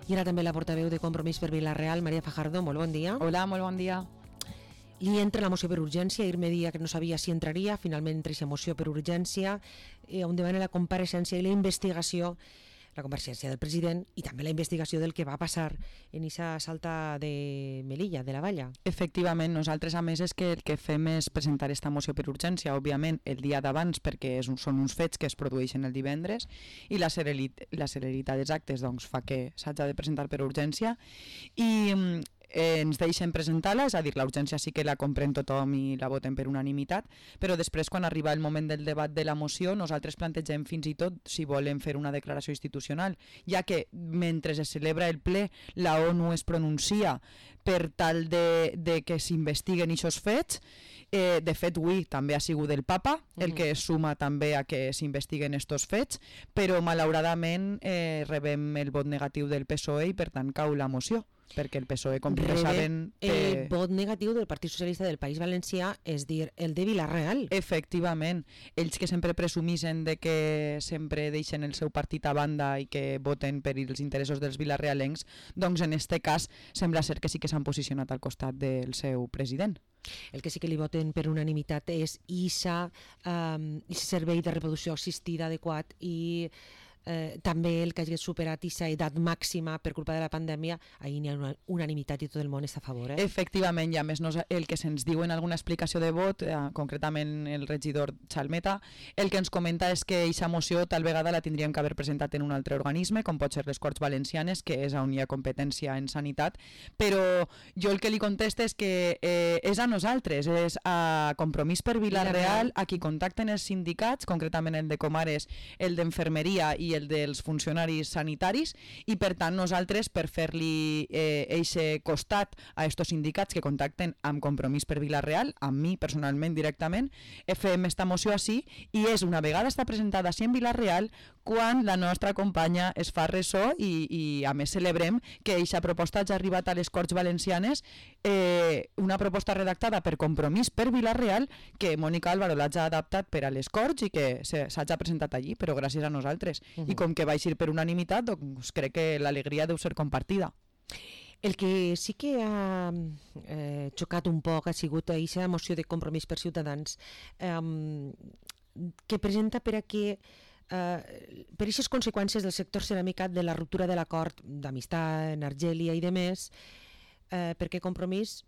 I ara també la portaveu de Compromís per Vila-real, Maria Fajardo, molt bon dia. Hola, molt bon dia. Li entra la moció per urgència, ahir me dia que no sabia si entraria, finalment entra aquesta moció per urgència, on demana la compareixença i la investigació, la compareixença del president i també la investigació del que va passar en aquesta salta de Melilla, de la Valla. Efectivament, nosaltres a més és que el que fem és presentar esta moció per urgència, òbviament el dia d'abans perquè són uns fets que es produeixen el divendres i la celeritat dels actes doncs, fa que s'hagi de presentar per urgència i ens deixen presentar-la, és a dir, la urgència sí que la comprèn tothom i la voten per unanimitat, però després quan arriba el moment del debat de la moció nosaltres plantegem fins i tot si volen fer una declaració institucional, ja que mentre es celebra el ple la ONU es pronuncia per tal de que s'investiguen aquests fets. De fet, avui també ha sigut el Papa el que es suma també a que s'investiguen estos fets, però malauradament rebem el vot negatiu del PSOE i per tant cau la moció, perquè el PSOE, com ja saben... El vot negatiu del Partit Socialista del País Valencià, és dir, el de Vila-real. Efectivament, ells que sempre presumisen de que sempre deixen el seu partit a banda i que voten per els interessos dels vilarrealencs, doncs en este cas sembla ser que sí que s'han posicionat al costat del seu president. El que sí que li voten per unanimitat és ISA, servei de reproducció assistida adequat i també el que hagi superat aquesta edat màxima per culpa de la pandèmia, ahir n'hi ha una unanimitat i tot el món està a favor. Efectivament, i a més el que se'ns diu en alguna explicació de vot, concretament el regidor Chalmeta, el que ens comenta és que aquesta moció tal vegada la tindríem que haver presentat en un altre organisme, com pot ser les Corts Valencianes, que és on hi ha competència en sanitat, però jo el que li contesto és que és a nosaltres, és a Compromís per Vila-real, a qui contacten els sindicats, concretament el de Comares, el d'Enfermeria i el dels funcionaris sanitaris, i per tant nosaltres, per fer-li eixe costat a estos sindicats que contacten amb Compromís per Vila-real, amb mi personalment directament, fem esta moció així, i és una vegada està presentada així en Vila-real quan la nostra companya es fa ressò i a més celebrem que eixa proposta hagi arribat a les Corts Valencianes, una proposta redactada per Compromís per Vila-real que Mònica Álvaro l'ha adaptat per a les Corts i que s'hagi presentat allí, però gràcies a nosaltres. I com que va eixir per unanimitat, doncs crec que l'alegria deu ser compartida. El que sí que ha xocat un poc ha sigut aquesta moció de Compromís per Ciutadans que presenta per a que per aquestes conseqüències del sector ceràmica de la ruptura de l'acord d'amistat en Argèlia i de més, perquè Compromís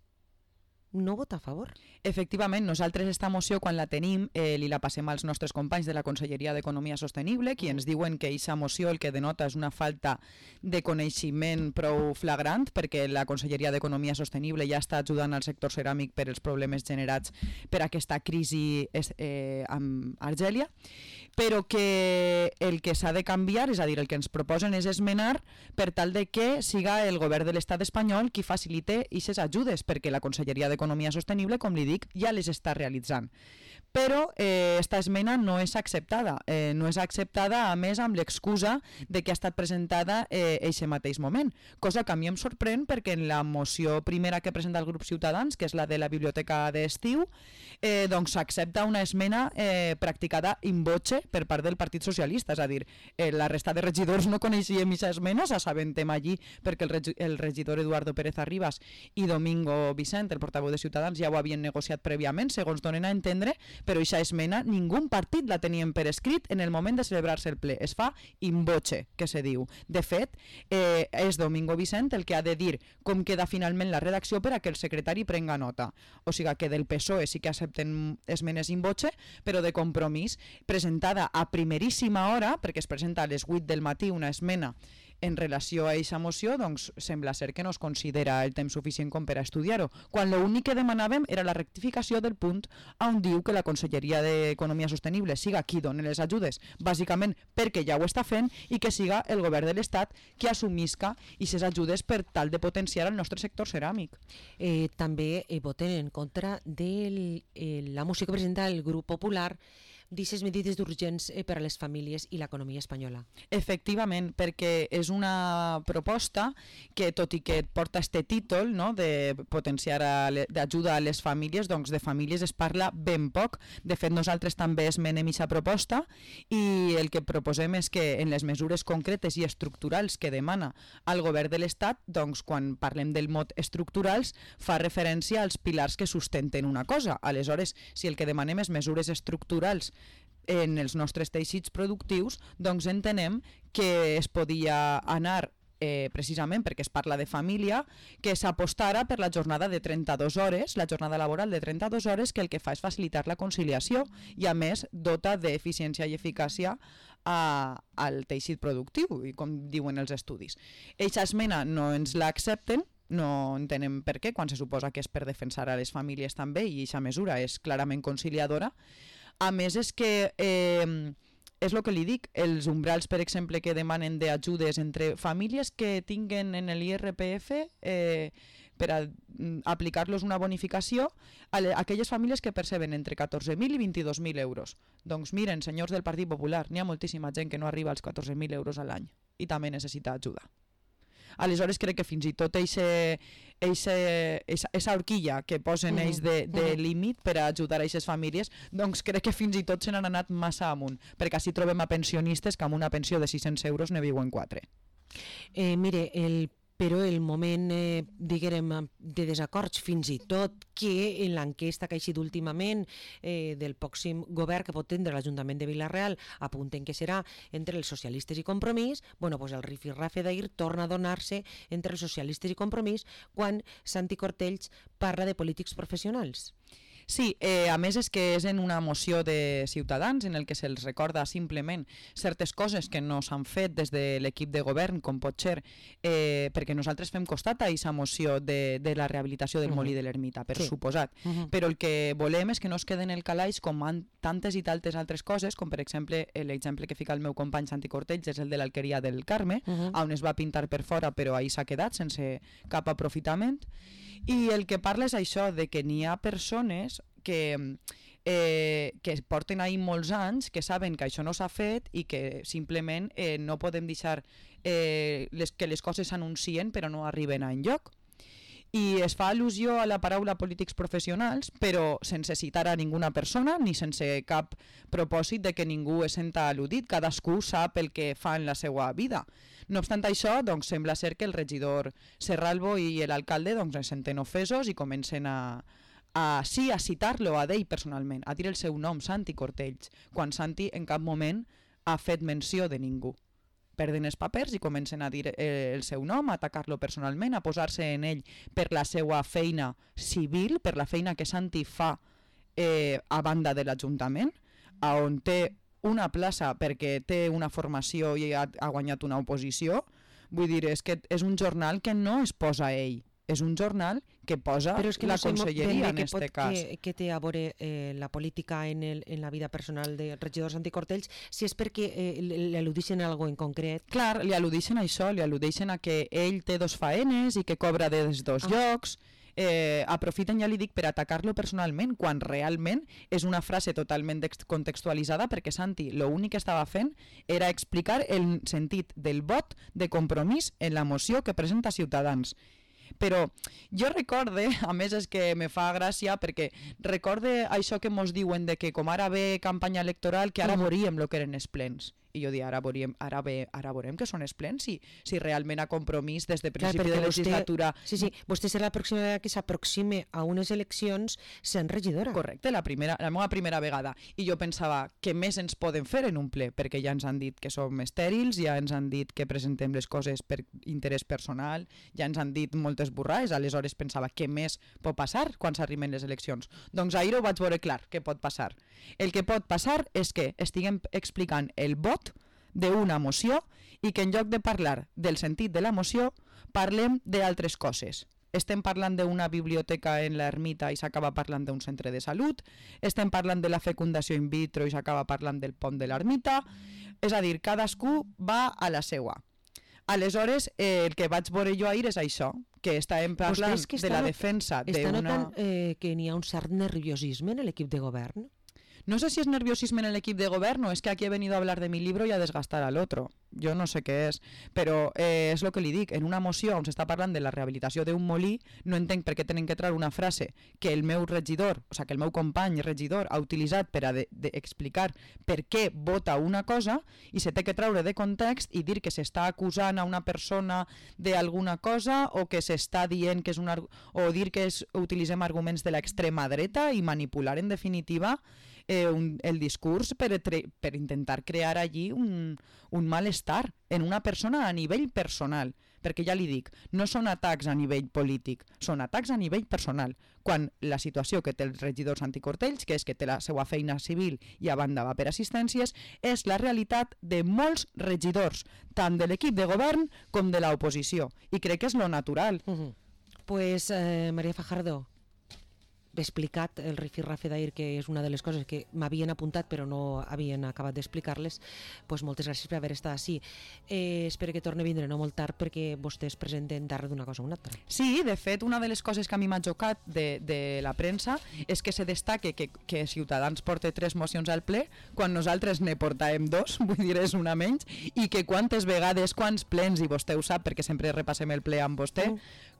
no vota a favor. Efectivament, nosaltres esta moció quan la tenim li la passem als nostres companys de la Conselleria d'Economia Sostenible, qui ens diuen que aquesta moció el que denota és una falta de coneixement prou flagrant, perquè la Conselleria d'Economia Sostenible ja està ajudant al sector ceràmic per els problemes generats per aquesta crisi amb Argèlia, però que el que s'ha de canviar, és a dir, el que ens proposen és esmenar per tal de que siga el govern de l'estat espanyol qui facilite aquestes ajudes, perquè la Conselleria d'Economia Sostenible, com li dic, ja les està realitzant. Però esta esmena no és acceptada. No és acceptada, a més, amb l'excusa de que ha estat presentada eixe mateix moment, cosa que a mi em sorprèn perquè en la moció primera que presenta el grup Ciutadans, que és la de la biblioteca d'estiu, doncs s'accepta una esmena practicada in voce per part del Partit Socialista, és a dir, la resta de regidors no coneixíem aquesta esmena, s'assabentem allí perquè el regidor Eduardo Pérez Arribas i Domingo Vicent, el portaveu de Ciutadans, ja ho havien negociat prèviament, segons donen a entendre, però aquesta esmena ningú partit la tenien per escrit en el moment de celebrar-se el ple. Es fa in voce, que se diu. De fet, és Domingo Vicent el que ha de dir com queda finalment la redacció per a que el secretari prenga nota. O sigui que del PSOE sí que accepten esmenes in voce, però de Compromís, presentada a primeríssima hora, perquè es presenta a les 8 del matí una esmena en relació a aquesta moció, doncs sembla ser que no es considera el temps suficient com per a estudiar-ho, quan l'únic que demanàvem era la rectificació del punt on diu que la Conselleria d'Economia Sostenible siga qui doni les ajudes, bàsicament perquè ja ho està fent, i que siga el govern de l'Estat qui assumisca aquestes ajudes per tal de potenciar el nostre sector ceràmic. També voten en contra de la moció que presenta el grup popular d'aquestes medides d'urgents per a les famílies i l'economia espanyola. Efectivament, perquè és una proposta que, tot i que porta este títol, no, de potenciar d'ajuda a les famílies, doncs de famílies es parla ben poc. De fet, nosaltres també esmenem aquesta proposta i el que proposem és que en les mesures concretes i estructurals que demana el govern de l'Estat, doncs quan parlem del mot estructurals, fa referència als pilars que sustenten una cosa. Aleshores, si el que demanem és mesures estructurals en els nostres teixits productius, doncs entenem que es podia anar precisament perquè es parla de família, que s'apostara per la jornada de 32 hores, la jornada laboral de 32 hores, que el que fa és facilitar la conciliació i a més dota d'eficiència i eficàcia al teixit productiu, i com diuen els estudis. Eixa esmena no ens l'accepten, no entenem per què, quan se suposa que és per defensar a les famílies també i aquesta mesura és clarament conciliadora. A més és que és el que li dic, els umbrals, per exemple, que demanen d'ajudes entre famílies que tinguen en l'IRPF per aplicar-los una bonificació a aquelles famílies que perceben entre 14.000 i 22.000 euros. Doncs miren, senyors del Partit Popular, n'hi ha moltíssima gent que no arriba als 14.000 euros a l'any i també necessita ajuda. Aleshores crec que fins i tot aquesta horquilla que posen ells de límit per a ajudar a aquestes famílies, doncs crec que fins i tot se n'han anat massa amunt, perquè així trobem a pensionistes que amb una pensió de 600 euros ne viuen 4. Mire, però el moment, diguem, de desacords, fins i tot que en l'enquesta que ha eixit últimament del pròxim govern que pot tindre l'Ajuntament de Vila-real apunten que serà entre els socialistes i Compromís, bueno, pues el rifirrafe d'ahir torna a donar-se entre els socialistes i Compromís quan Santi Cortells parla de polítics professionals. Sí, a més és que és en una moció de Ciutadans en el que se'ls recorda simplement certes coses que no s'han fet des de l'equip de govern, com pot ser, perquè nosaltres fem costat a aquesta moció de la rehabilitació del Molí de l'Ermita, per suposat. Però el que volem és que no es queden en el calaix com tantes i tantes altres coses, com per exemple l'exemple que fica el meu company Santi Cortells és el de l'Alqueria del Carme, on es va pintar per fora però ahí s'ha quedat sense cap aprofitament. I el que parla és això, de que n'hi ha persones que porten ahí molts anys, que saben que això no s'ha fet i que simplement no podem deixar que les coses s'anuncien però no arriben a enlloc. I es fa al·lusió a la paraula polítics professionals, però sense citar a ninguna persona ni sense cap propòsit de que ningú es senta al·ludit. Cadascú sap el que fa en la seva vida. No obstant això, doncs, sembla ser que el regidor Serralbo i l'alcalde es senten ofesos i comencen a citar-lo a ell personalment, a dir el seu nom, Santi Cortells, quan Santi en cap moment ha fet menció de ningú. Perden els papers i comencen a dir el seu nom, a atacar-lo personalment, a posar-se en ell per la seva feina civil, per la feina que Santi fa a banda de l'Ajuntament, on té una plaça perquè té una formació i ha guanyat una oposició. Vull dir, és que és un jornal que no es posa ell, és un jornal que posa la conselleria en aquest cas. Què té a veure la política en la vida personal del regidor Santi Cortells, si és perquè li al·ludixen a alguna en concret? Clar, li al·ludixen a això, li al·ludixen a que ell té 2 faenes i que cobra des 2 llocs. Aprofiten, ja li dic, per atacar-lo personalment, quan realment és una frase totalment contextualitzada, perquè Santi l'únic que estava fent era explicar el sentit del vot de Compromís en la moció que presenta Ciutadans. Però jo recorde, a més és que me fa gràcia, perquè recorde això que mos diuen de que com ara ve campanya electoral, que ara veuríem el que eren els plens. I jo dic, ara veurem que són els plens, si realment a Compromís des de principi de legislatura... Sí, vostè serà la pròxima vegada que s'aproxime a unes eleccions sent regidora. Correcte, la meva primera vegada. I jo pensava, què més ens poden fer en un ple? Perquè ja ens han dit que som estèrils, ja ens han dit que presentem les coses per interès personal, ja ens han dit moltes burrades, aleshores pensava, què més pot passar quan s'arriben les eleccions? Doncs ahir ho vaig veure clar, què pot passar. El que pot passar és que estiguem explicant el vot d'una moció i que en lloc de parlar del sentit de la moció parlem d'altres coses. Estem parlant d'una biblioteca en l'ermita i s'acaba parlant d'un centre de salut, estem parlant de la fecundació in vitro i s'acaba parlant del pont de l'ermita, és a dir, cadascú va a la seua. Aleshores, el que vaig veure jo ahir és això, que estàvem parlant de la defensa d'una... Està notant que n'hi ha un cert nerviosisme en l'equip de govern? No sé si es nerviosismo en el equipo de gobierno o es que aquí he venido a hablar de mi libro y a desgastar al otro. Jo no sé què és, però és el que li dic. En una moció on s'està parlant de la rehabilitació d'un molí, no entenc per què tenen que treure una frase que el meu regidor, o sigui, que el meu company regidor ha utilitzat per a explicar per què vota una cosa i se té que treure de context i dir que s'està acusant a una persona d'alguna cosa o que s'està dient que és o dir que utilitzem arguments de l'extrema dreta i manipular en definitiva el discurs per intentar crear allí un malestar en una persona a nivell personal, perquè ja li dic, no són atacs a nivell polític, són atacs a nivell personal, quan la situació que té els regidors Santi Cortells, que és que té la seva feina civil i a banda va per assistències, és la realitat de molts regidors, tant de l'equip de govern com de l'oposició, i crec que és lo natural. Pues María Fajardo, explicat el rifirrafe d'ahir, que és una de les coses que m'havien apuntat però no havien acabat d'explicar-les, pues moltes gràcies per haver estat així. Espero que torni a vindre no molt tard perquè vostès presenten darrere d'una cosa o una altra. Sí, de fet, una de les coses que a mi m'ha xocat de la premsa és que se destaque que Ciutadans porta 3 mocions al ple quan nosaltres ne portàvem 2, vull dir, és una menys, i que quantes vegades, quants plens, i vostè ho sap perquè sempre repassem el ple amb vostè,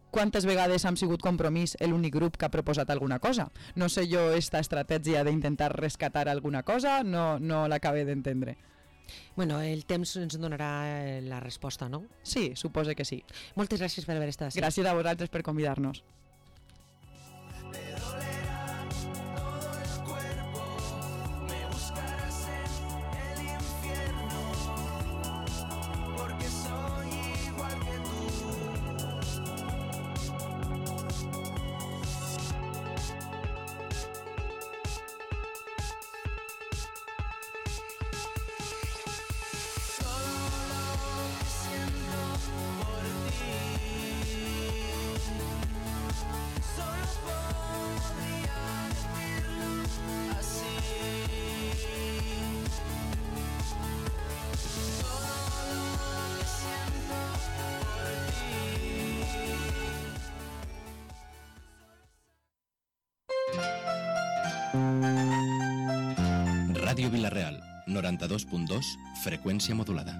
quantes vegades hem sigut Compromís l'únic grup que ha proposat alguna cosa. No sé jo esta estratègia d'intentar rescatar alguna cosa, no l'acabé d'entendre. Bueno, el temps ens donarà la resposta, no? Sí, suposo que sí. Moltes gràcies per haver estat. Gràcies a vosaltres per convidar-nos. Ràdio Vila-real, 92.2, freqüència modulada.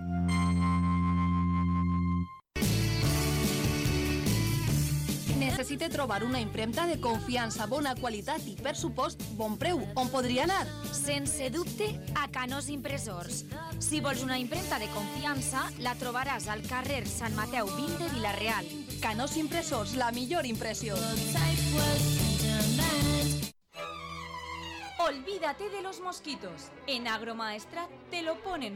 Necessite trobar una impremta de confiança, bona qualitat i, per supost, bon preu. On podria anar? Sense dubte, a Canós Impressors. Si vols una impremta de confiança, la trobaràs al carrer Sant Mateu 20 de Vila-real. Canós Impressors, la millor impressió. Olvídate de los mosquitos. En Agromaestrat te lo ponen